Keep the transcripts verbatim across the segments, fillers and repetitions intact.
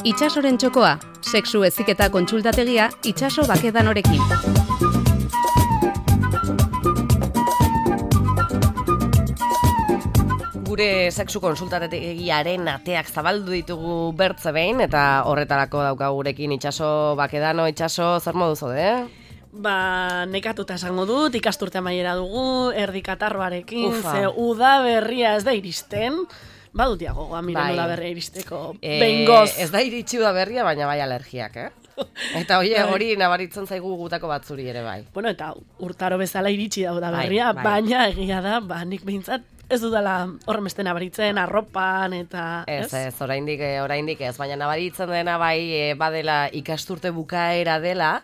Itsasoren txokoa, sexu heziketa kontsultategia Itsaso Bakedanorekin. Gure sexu konsultategiaren ateak zabaldu ditugu bertze behin, eta horretarako dauka gurekin Itsaso Bakedano. Itsaso, zer modu zaude, eh? Ba, nekatuta esango dut, ikasturte amaiera dugu, erdi katarroarekin, ze uda berria ez da iristen. Badut diagoa, miren bai. Uda berria iristeko, e, behingoz. Ez da iritsi uda berria, baina bai alergiak, eh? Eta oie, hori nabaritzen zaigu gutako batzuri ere bai. Bueno, eta urtaro bezala iritsi da uda berria, bai, bai. Baina egia da, ba, nik behintzat, ez dudala horren beste nabaritzen, arropan, eta... Ez, ez, ez oraindik, oraindik ez, baina nabaritzen dena bai, badela ikasturte bukaera dela,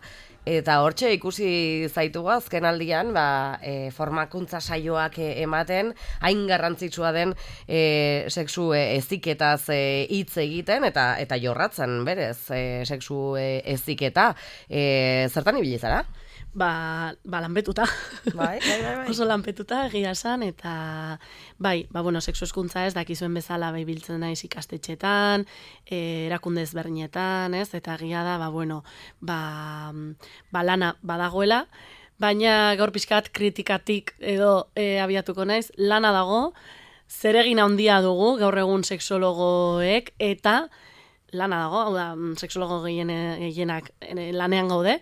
eta hortxe ikusi zaitugu azken aldian, ba, e, formakuntza saioak ematen, hain garrantzitsua den e, sexu heziketaz hitz e, egiten, eta eta jorratzen, berez, e, sexu heziketa. E, zertan ibili zara? Ba, ba lanpetuta. Bai, bai, bai, bai. Oso lanpetuta egia esan, eta bai, ba, bueno, sexu hezkuntza ez, dakizuen bezala bai biltzen naiz ikastetxetan, e, erakunde ezberdinetan, ez, eta egia da, ba, bueno, ba, ba lana badagoela, baina gaur pixkat kritikatik edo e, abiatuko naiz, lana dago, zeregin handia dugu gaur egun sexologoek, eta lana dago, hau da, sexologo gehienak lanean gaude,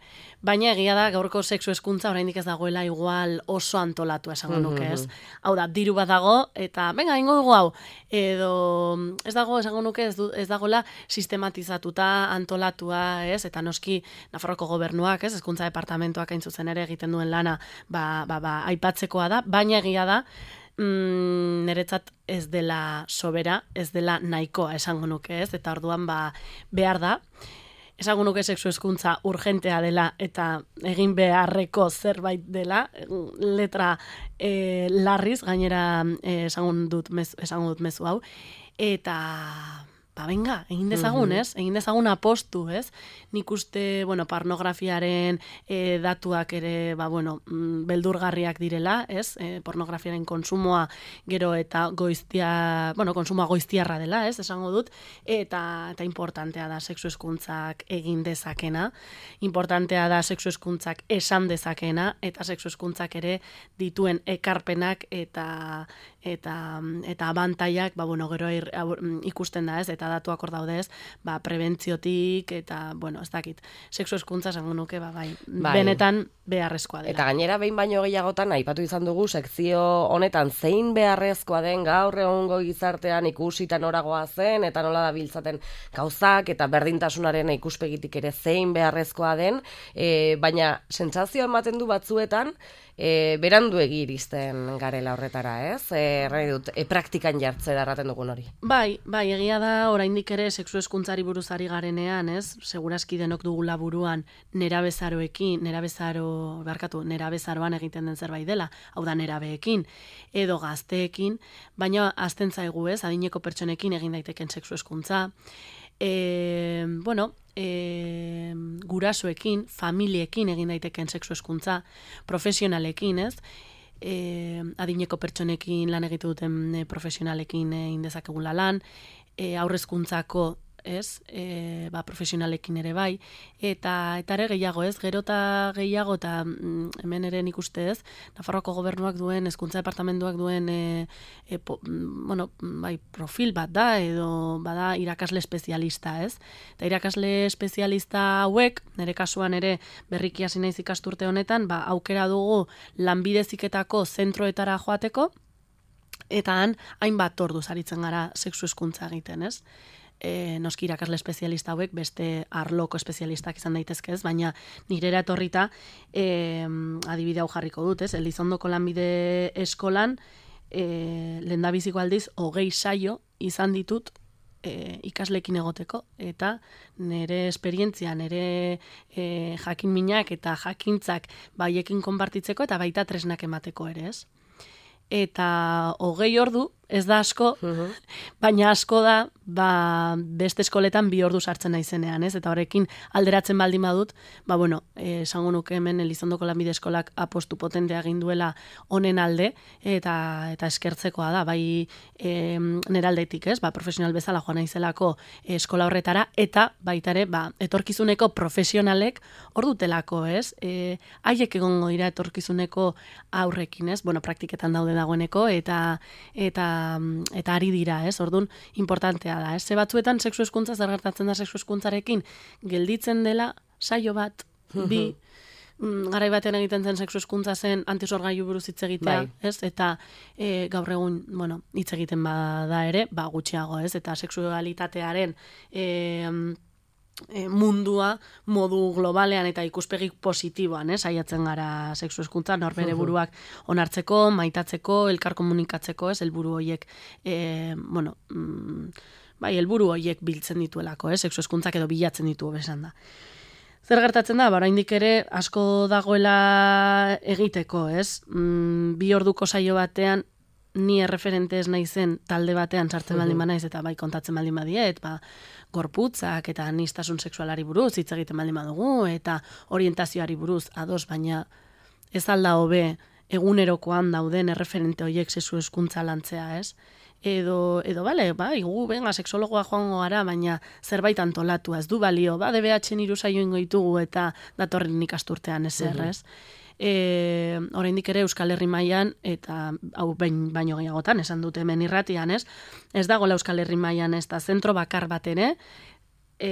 baina egia da gaurko sexu hezkuntza oraindik ez dagoela igual oso antolatua esango nuke, ez? Hau da, diru bat dago, eta venga, ingo dugu hau, edo ez dago esango nuke ez, du, ez dagoela sistematizatuta, antolatua, ez? Eta noski Nafarroko gobernuak, ez? Hezkuntza departamentoak hain zuzen ere egiten duen lana, ba, ba, ba, aipatzekoa da, baina egia da, Mm, niretzat ez dela sobera, ez dela nahikoa esango nuke, ez? Eta orduan ba, behar da. Esango nuke sexu hezkuntza urgentea dela eta egin beharreko zerbait dela, letra e, larriz, gainera e, esango dut mez, esango dut mezu hau, eta... Ba, venga, egin dezagun, ez? Egin dezagun apostu, ez? Nik uste, bueno, pornografiaren e, datuak ere, ba, bueno, beldurgarriak direla, ez? E, pornografiaren konsumoa gero eta goiztia, bueno, konsumoa goiztiarra dela, ez? Esango dut, eta, eta importantea da sexu hezkuntzak egin dezakena, importantea da sexu hezkuntzak esan dezakena, eta sexu hezkuntzak ere dituen ekarpenak eta eta eta abantaiak, ba, bueno, gero ir, ikusten da, ez? Eta datuak hor daude, ez? Ba, prebentziotik eta, bueno, ez dakit, sexu hezkuntza esango nuke, ba, bai, bai, benetan beharrezkoa dela. Eta gainera behin baino gehiagotan aipatu izan dugu sekzio honetan zein beharrezkoa den gaur egungo gizartean ikusita noragoa zen eta nola dabiltzaten gauzak eta berdintasunaren ikuspegitik ere zein beharrezkoa den, e, baina sentsazio ematen du batzuetan e, berandu iristen garela horretara, ez? E, dut, e, praktikan jartzera erraten dugun hori. Bai, bai, egia da oraindik ere sexu hezkuntzari buruzari garenean, ez? Segurazki denok dugula buruan nerabezaroekin, nerabezaro, barkatu, nerabezaroan egiten den zerbait dela, hau da nerabeekin edo gazteekin, baina azten zaigu, ez? Adineko pertsonekin egin daiteken sexu hezkuntza. E, bueno, e, gurasoekin, familiekin egin daiteken sexu hezkuntza, profesionalekin, ez? E, adineko pertsonekin lan egitu duten e, profesionalekin egin dezakegula lan, e, aurrezkuntzako, ez, e, ba, profesionalekin ere bai, eta eta ere gehiago, ez, gero eta gehiago, eta mm, hemen ere nik uste, ez, Nafarroako gobernuak duen, hezkuntza departamentuak duen, e, e, po, bueno, bai, profil bat da, edo bada irakasle espezialista, ez, eta irakasle espezialista hauek, nire kasuan ere berriki hasi naiz ikasturte honetan, ba, aukera dugu lanbide heziketako zentroetara joateko, eta han hainbat orduz aritzen gara sexu hezkuntza egiten, ez? E, noski irakasle espezialista hauek beste arloko espezialistak izan daitezke, ez, baina nirera etorrita e, adibide hau jarriko dut, ez, Elizondoko lanbide eskolan e, lehendabiziko aldiz hogei saio izan ditut e, ikaslekin egoteko, eta nire esperientzia, nire e, jakin minak eta jakintzak baiekin konpartitzeko eta baita tresnak emateko ere, ez. Eta hogei ordu ez da asko, uh-huh. baina asko da, ba, beste eskoletan bi ordu sartzen naizenean, ez? Eta horrekin alderatzen baldin badut, ba, bueno, esango nuke hemen Elizondoko lanbide eskolak apostu potentea egin duela honen alde, eta eta eskertzekoa da, bai e, nera aldetik, ez? Ba, profesional bezala joan naizelako eskola horretara, eta baita ere, ba, etorkizuneko profesionalek hor dutelako, ez? E, haiek egongo dira etorkizuneko aurrekin, ez? Bueno, praktiketan daude dagoeneko, eta eta eta ari dira, ez? Orduan, importantea da, ez? Ze batzuetan sexu hezkuntza zer gertatzen da sexu hezkuntzarekin gelditzen dela saio bat, bi, mm, garai batean egiten zen sexu hezkuntza zen antisorgailu buruz hitz egitea, bai. Ez? Eta e, gaur egun, bueno, hitz egiten bada ere, ba gutxiago, ez? Eta sexualitatearen e, E, mundua modu globalean eta ikuspegi positiboan, eh, saiatzen gara sexu hezkuntza norbere buruak onartzeko, maitatzeko, elkar komunikatzeko, ez, helburu horiek e, bueno, mm, bai, helburu horiek biltzen dituelako, eh, sexu hezkuntzak edo bilatzen ditu besan da. Zer gertatzen da, ba, oraindik ere asko dagoela egiteko, ez? Mm, bi orduko saio batean ni erreferente ez naizen talde batean sartzen baldin banaiz eta bai kontatzen baldin badiet, ba, gorputzak eta anistasun sexualari buruz hitz egiten baldin badugu eta orientazioari buruz ados, baina ez alda hobe egunerokoan dauden erreferente horiek sexu hezkuntza lantzea, ez? Edo, edo bale, bai, gu, benga, sexologoa joango gara, baina zerbait antolatu, ez du balio, ba, D B H-en hiru saio ingo ditugu eta datorren ikasturtean ezer, ez? E, oraindik ere Euskal Herri mailan eta hau bain, baino gehiagotan esan dute hemen irratian, ez? Ez dagoela Euskal Herri mailan ez da zentro bakar bat ere, e,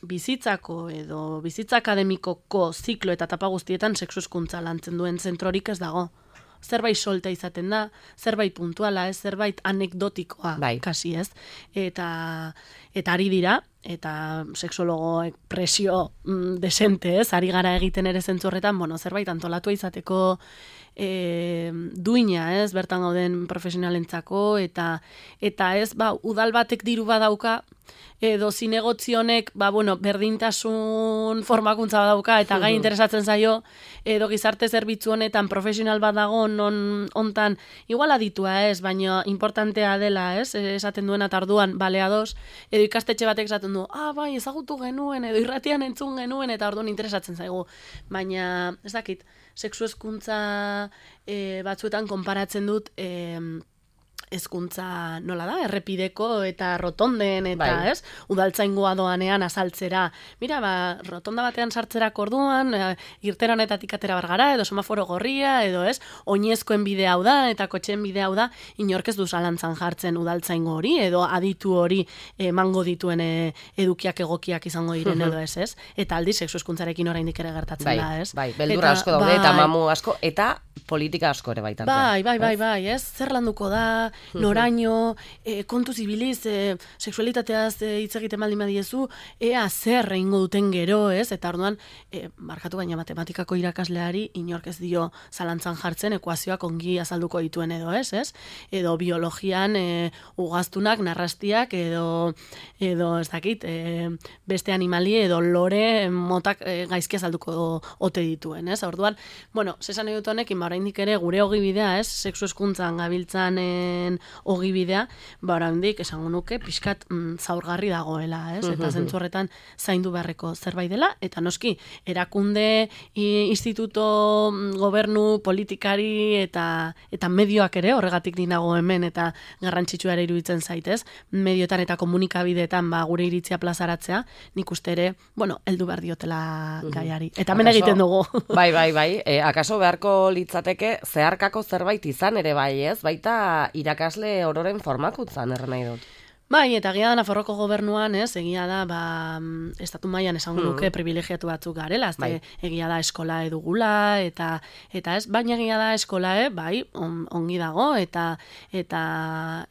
bizitzako edo bizitza akademikoko ziklo eta etapa guztietan sexu hezkuntza lantzen duen zentrorik ez dago. Zerbait solta izaten da, zerbait puntuala, ez, zerbait anekdotikoa, bai. Kasi, ez? Eta, eta ari dira, eta sexologoek presio mm, desente, ez? Ari gara egiten ere zentzu horretan, bueno, zerbait antolatua izateko e, duina, ez? Bertan gauden profesionalentzako, eta eta ez, ba, udal batek diru badauka, edo zinegozionek, ba, bueno, berdintasun formakuntza badauka, eta gai interesatzen zaio, edo gizarte zerbitzu honetan profesional badago non hontan igual aditua ez, baina importantea dela, ez? Esaten duena tarduan baleados, edo ikastetxe batek esaten du, ah, bai, ezagutu genuen, edo irratian entzun genuen, eta orduan interesatzen zaigu. Baina, ez dakit, sexu hezkuntza e, batzuetan konparatzen dut, e, hezkuntza nola da, errepideko eta rotonden eta, bai. Ez? Udaltzaingoa doanean azaltzera. Mira, ba, rotonda batean sartzerak orduan, e, irteran eta tikatera bargara, edo semaforo gorria, edo ez, oinezkoen bide hau da, eta kotxeen bide hau da, inork ez du zalantzan jartzen udaltzaingo hori, edo aditu hori emango dituen e, edukiak egokiak izango diren edo ez, ez? Eta aldi, sexu hezkuntzarekin oraindik ere gertatzen bai, da, ez? Bai, beldurra asko daude, bai. Eta mamu asko, eta politika asko ere baita. Bai, bai, bai, bai, ez? Zer landuko da, noraino, e, kontuz ibiliz, e, sexualitateaz e, hitz egiten baldin badiezu, ea zer egingo duten gero, ez? Eta orduan, e, markatu baina matematikako irakasleari inork ez dio zalantzan jartzen ekuazioak ongi azalduko dituen edo, ez? ez? Edo biologian e, ugaztunak, narrastiak, edo, edo ez dakit, e, beste animali edo lore motak e, gaizki azalduko ote dituen, ez? Orduan, bueno, zesan edut honekin, ba, oraindik ere gure ogibidea, ez? Sexu hezkuntzan gabiltzanen ogibidea, ba, oraindik esango nuke pixkat mm, zaurgarri dagoela, ez? Eta zentzu horretan zaindu beharreko zerbait dela, eta noski, erakunde, instituto, gobernu, politikari eta eta medioak ere, horregatik dinago hemen, eta garrantzitsua ere iruditzen zaitez, medioetan eta komunikabideetan ba, gure iritzia plazaratzea, nik uste ere, bueno, heldu behar diotela gaiari. Eta hemen egiten dugu. Bai, bai, bai. E, akaso beharko litzateke zeharkako zerbait izan ere bai, ez? Baita irakasle ororen formakuntzan erren nahi dut. Bai, eta egia da Nafarroko gobernuan, ez, egia da, ba, estatu mailan esango nuke privilegiatu batzuk garela, ez, bai. Egia da eskola edugula, eta, eta ez, baina egia da eskola, eh, bai, on, ongi dago, eta, eta,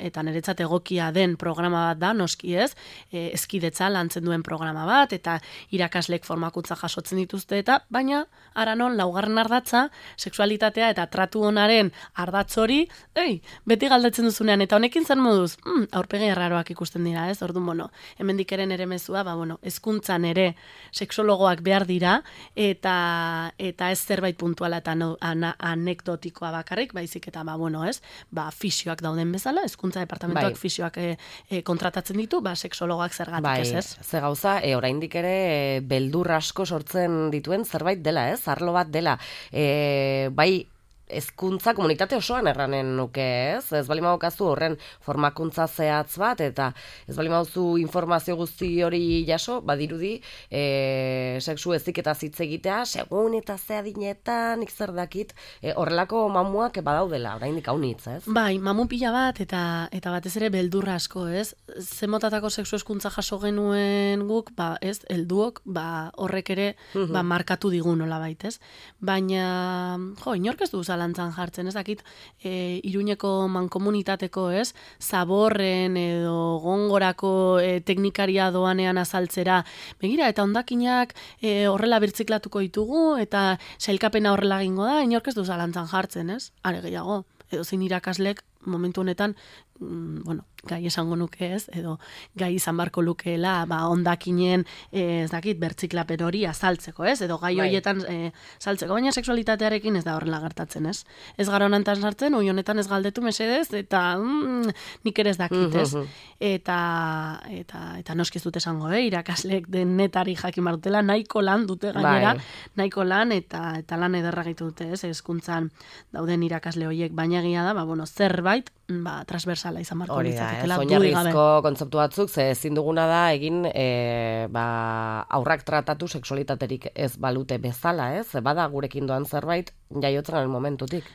eta niretzat egokia den programa bat da, noski ez, e, eskidetza lantzen duen programa bat, eta irakaslek formakuntza jasotzen dituzte, eta, baina, ara non, laugarren ardatza, sexualitatea eta tratu honaren ardatz hori, ei, beti galdetzen duzunean, eta honekin zer moduz, mm, aurpegi erraroak seksologoak ikusten dira, ez? Orduan, bueno, hemendik ere ere mezua, ba, bueno, hezkuntzan ere seksologoak behar dira, eta eta ez zerbait puntuala eta no, ana, anekdotikoa bakarrik, baizik eta, ba, bueno, ez? Ba, fisioak dauden bezala, hezkuntza departamentuak bai. fisioak e, e, kontratatzen ditu, ba, seksologoak zergatik bai, ez, ez? Ze gauza, e, oraindik ere e, beldur asko sortzen dituen zerbait dela, ez? Arlo bat dela. E, bai, hezkuntza komunitate osoan erranen nuke, ez? Ez bali maukazu horren formakuntza zehatz bat, eta ez bali mauzu informazio guzti hori jaso, badirudi, e, sexu heziketaz hitz egitea, segun eta ze adinetan, zer dakit, e, horrelako mamuak badaudela, oraindik haunitz, ez? Bai, mamu pila bat, eta eta batez ere beldurra asko, ez? Zemotatako sexu hezkuntza jaso genuen guk, ba, ez, helduok, ba, horrek ere, uh-huh. ba, markatu digun nolabait, ez? Baina, jo, inork ez du zalantzan jartzen, ez dakit, e, Iruñeko mankomunitateko, ez, zaborren edo gongorako e, teknikaria doanean azaltzera, begira, eta hondakinak e, horrela birtziklatuko ditugu, eta sailkapena horrela egingo da, inork ez du zalantzan jartzen, ez? Are gehiago, edo zein irakaslek momentu honetan, mm, bueno, gai esango nuke ez, edo gai izan barko lukeela, ba, ondakinen, ez dakit, bertziklapen hori azaltzeko, ez, edo gai bai. horietan e, saltzeko, baina sexualitatearekin ez da horrela gertatzen, ez. Ez gara honetan sartzen, oi honetan ez galdetu mesedez, eta mm, nik ere ez dakit, ez. Eta, eta, eta noski ez dute esango, eh, irakaslek denetari jakin marutela, nahiko lan dute gainera, bai. nahiko lan, eta, eta lan ederra gaitu dute, ez, hezkuntzan dauden irakasle horiek, baina egia da, ba, bueno, zerbait, ba, transversala izan marko litzaketela. Oinarrizko kontzeptu batzuk, ze ezin duguna da egin e, ba, aurrak tratatu sexualitaterik ez balute bezala, ez? Bada gurekin doan zerbait jaiotzen garen momentutik.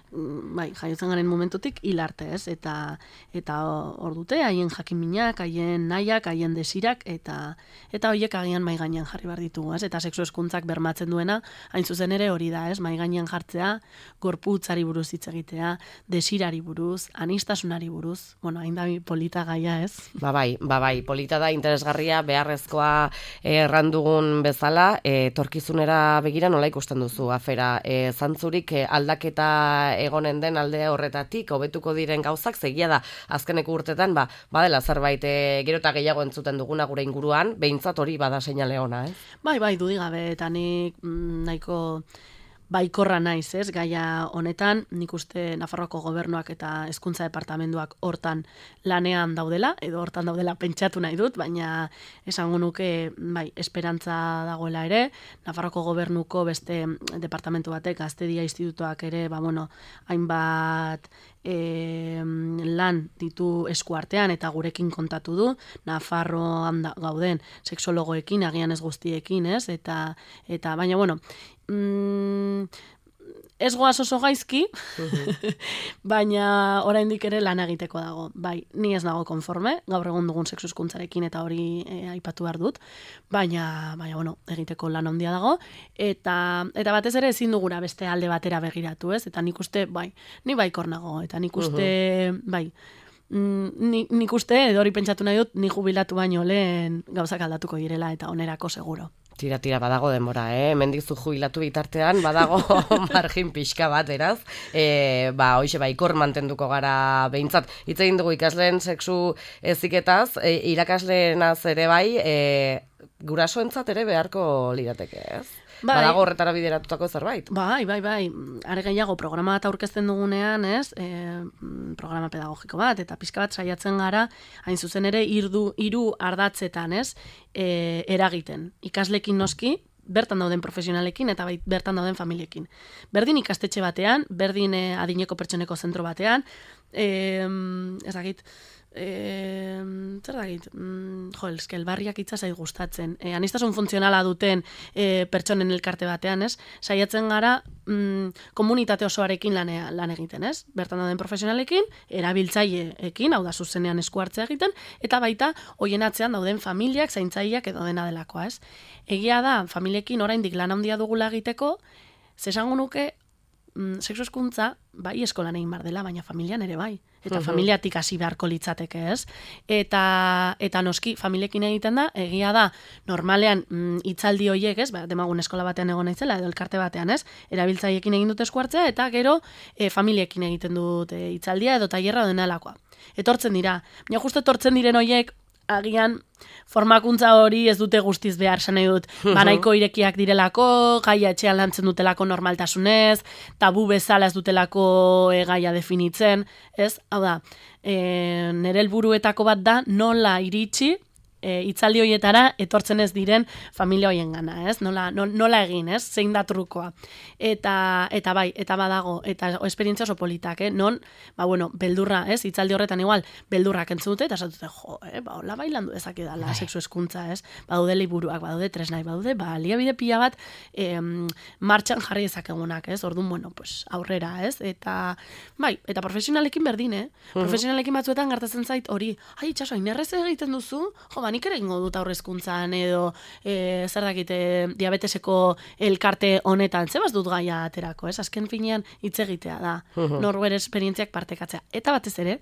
Bai, jaiotzen garen momentutik hilarte, ez? Eta eta hor dute, haien jakinminak, haien nahiak, haien desirak, eta eta horiek agian mai gainean jarri behar ditugu, ez? Eta sexu hezkuntzak bermatzen duena, hain zuzen ere hori da, ez? Mai gainean jartzea, gorputzari buruz hitz egitea, desirari buruz, anistasunari buruz, bueno, hain da polita gaia, ez? Ba bai, ba bai, polita da, interesgarria, beharrezkoa errandugun bezala, e, torkizunera begira nola ikusten duzu afera, e, zantzurik e, aldaketa egonen den alde horretatik, hobetuko diren gauzak, zegia da, azkeneko urtetan, ba, badela zerbait e, gero eta gehiago entzuten duguna gure inguruan, behintzat hori bada seinale ona, eh? Bai, bai, dudigabe, eta nik mm, nahiko baikorra naiz, ez, gaia honetan, nik uste Nafarroako gobernuak eta hezkuntza departamentuak hortan lanean daudela, edo hortan daudela pentsatu nahi dut, baina esango nuke, bai, esperantza dagoela ere, Nafarroako gobernuko beste departamentu batek, Gaztedia Institutuak ere, ba, bueno, hainbat E, lan ditu eskuartean eta gurekin kontatu du, Nafarroan gauden sexologoekin, agian ez guztiekin, ez? Eta, eta baina, bueno, mm, ez goaz oso gaizki, uh-huh. baina oraindik ere lan egiteko dago. Bai, ni ez nago konforme, gaur egun dugun sexu hezkuntzarekin eta hori e, aipatu behar dut, baina, baina bueno, egiteko lan handia dago, eta, eta batez ere ezin duguna beste alde batera begiratu, ez? Eta nik uste, bai, ni baikor nago, eta nik uste, uh-huh. bai, Ni, nik uste, edo hori pentsatu nahi dut, ni jubilatu baino lehen gauzak aldatuko direla eta onerako seguro. Tira, tira, badago denbora, eh? Hemendik zu jubilatu bitartean, badago margin pixka bat, eraz? E, ba, hoxe, baikor mantenduko gara behintzat. Hitz egin dugu ikasleen sexu heziketaz, e, irakasleenaz ere bai, e, gurasoentzat ere beharko lirateke, ez? Bai. Badago horretara bideratutako zerbait. Bai, bai, bai. Are gehiago programa bat aurkezten dugunean, ez? E, programa pedagogiko bat, eta pixka bat saiatzen gara, hain zuzen ere, irdu, hiru ardatzetan, ez? E, eragiten. Ikaslekin noski, bertan dauden profesionalekin eta bai, bertan dauden familiekin. Berdin ikastetxe batean, berdin e, adineko pertsoneko zentro batean, e, ez dakit, E, zer dakit, mm, jo, eske elbarriak hitza zait gustatzen. E, anistasun funtzionala duten e, pertsonen elkarte batean, ez? Saiatzen gara mm, komunitate osoarekin lanea, lan egiten, ez? Bertan dauden profesionalekin, erabiltzaileekin, hau da zuzenean esku hartzea egiten, eta baita hoien atzean dauden familiak, zaintzaileak edo dena delakoa, ez? Egia da, familiekin oraindik lan handia dugula egiteko, zesango nuke, mm, sexu hezkuntza bai eskolan egin bar dela, baina familian ere bai. Eta uh-huh. familiatik hasi beharko litzateke, ez? Eta, eta noski, familiekin egiten da, egia da, normalean mm, hitzaldi horiek, ez? Ba, demagun eskola batean egon naizela, edo elkarte batean, ez? Erabiltzaiekin egin dute esku hartzea, eta gero e, familiekin egiten dute hitzaldia edo tailerra edo denalakoa. etortzen dira. Baina justo etortzen diren horiek, agian formakuntza hori ez dute guztiz behar, sanai dut, banaiko irekiak direlako, gaia etxean lantzen dutelako normaltasunez, tabu bezala ez dutelako e, gaia definitzen, ez? Hau da, e, nire helburuetako bat da nola iritsi, E, itzaldi horietara etortzen ez diren familia hoien gana, ez? Nola, nola egin, ez? Zein da trukoa. Eta, eta bai, eta badago, eta esperientzia oso politak, eh? Non, ba bueno, beldurra, ez? Itzaldi horretan igual, beldurrak entzun dute, eta esatute, jo, eh? Ba, hola bailandu dezake dala sexu eskuntza, ez? Badaude liburuak, badaude tresnai, badaude, ba, liabide pila bat em, martxan jarri dezakegunak, ez? Orduan, bueno, pues, aurrera, ez? Eta, bai, eta profesionalekin berdin, eh? Mm-hmm. Profesionalekin batzuetan gertatzen zait hori, ai, itxaso, inerrez egiten duzu, jo, nik ere egingo dut aurrezkuntzan edo e, zer dakite diabeteseko elkarte honetan, zebaz dut gaia aterako, ez? Azken finean hitz egitea da, uh-huh. norbere esperientziak partekatzea. Eta batez ere,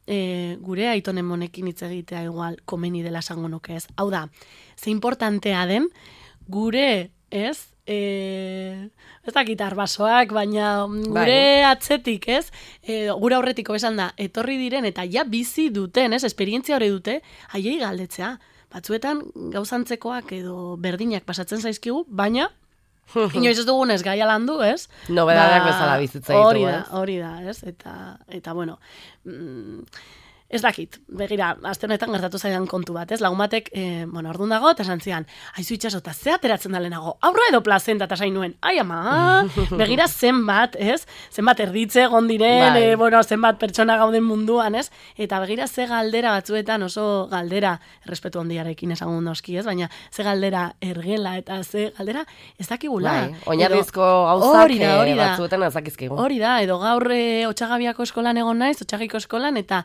e, gure aitonen monekin hitz egitea igual komeni dela esango nuke, ez? Hau da, ze importantea den gure, ez? E, ez dakit arbasoak, baina gure bai. Atzetik, ez? E, gure aurretiko esan da, etorri diren eta ja bizi duten, ez? Esperientzia hori dute, haiei galdetzea. Batzuetan gauzantzekoak edo berdinak pasatzen zaizkigu, baina inoiz ez dugunez gaia landu, ez? Nobedadeak bezala bizitza ditu, hori da, hori da, ez? Eta, eta bueno, mm, ez dakit, begira, aste honetan gertatu zaidan kontu bat, ez? Lagun batek, eh, bueno, orduan dago, eta esan zian, aizu itxaso, eta ze ateratzen da lehenago, aurra edo plazenta, eta zain nuen, ai ama, begira zenbat, ez? Zenbat erditze egon diren, e, bueno, zenbat pertsona gauden munduan, ez? Eta begira ze galdera batzuetan, oso galdera, errespetu handiarekin esango noski, ez? Baina ze galdera ergela, eta ze galdera ez dakigula. Bai, oinarrizko gauzak batzuetan ez dakizkigu. Hori da, edo gaur e, Otxagabiako eskolan egon naiz, Otxagiko eskolan, eta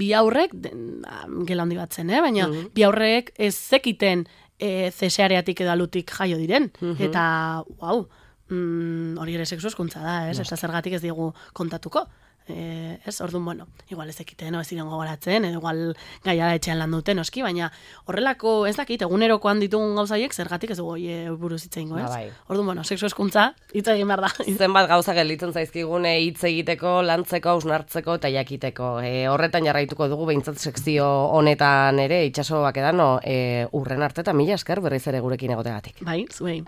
bi aurrek, gela handi bat zen, eh? Baina uh-huh. bi aurrek ez zekiten e, zeseareatik edo alutik jaio diren. Uh-huh. Eta, uau, mm, hori ere sexu eskuntza da, ez? Eta zergatik ez digu kontatuko. E, ez, orduan, bueno, igual ez ekiten, ez ziren gogoratzen, edo igual gaiara etxean lan duten, oski, baina horrelako, ez dakit, egunerokoan ditugun gauzaiek, zergatik ez dugu e, buruz hitz egingo, ez? Ba, bai. Orduan, bueno, sexu eskuntza, hitz egin behar da. Zenbat gauza gelditzen zaizkigune hitz egiteko, lantzeko, ausnartzeko eta jakiteko. E, horretan jarraituko dugu behintzat sekzio honetan ere, itxaso bakedano, e, urren arte eta mila esker berriz ere gurekin egotegatik. Bai, zuei.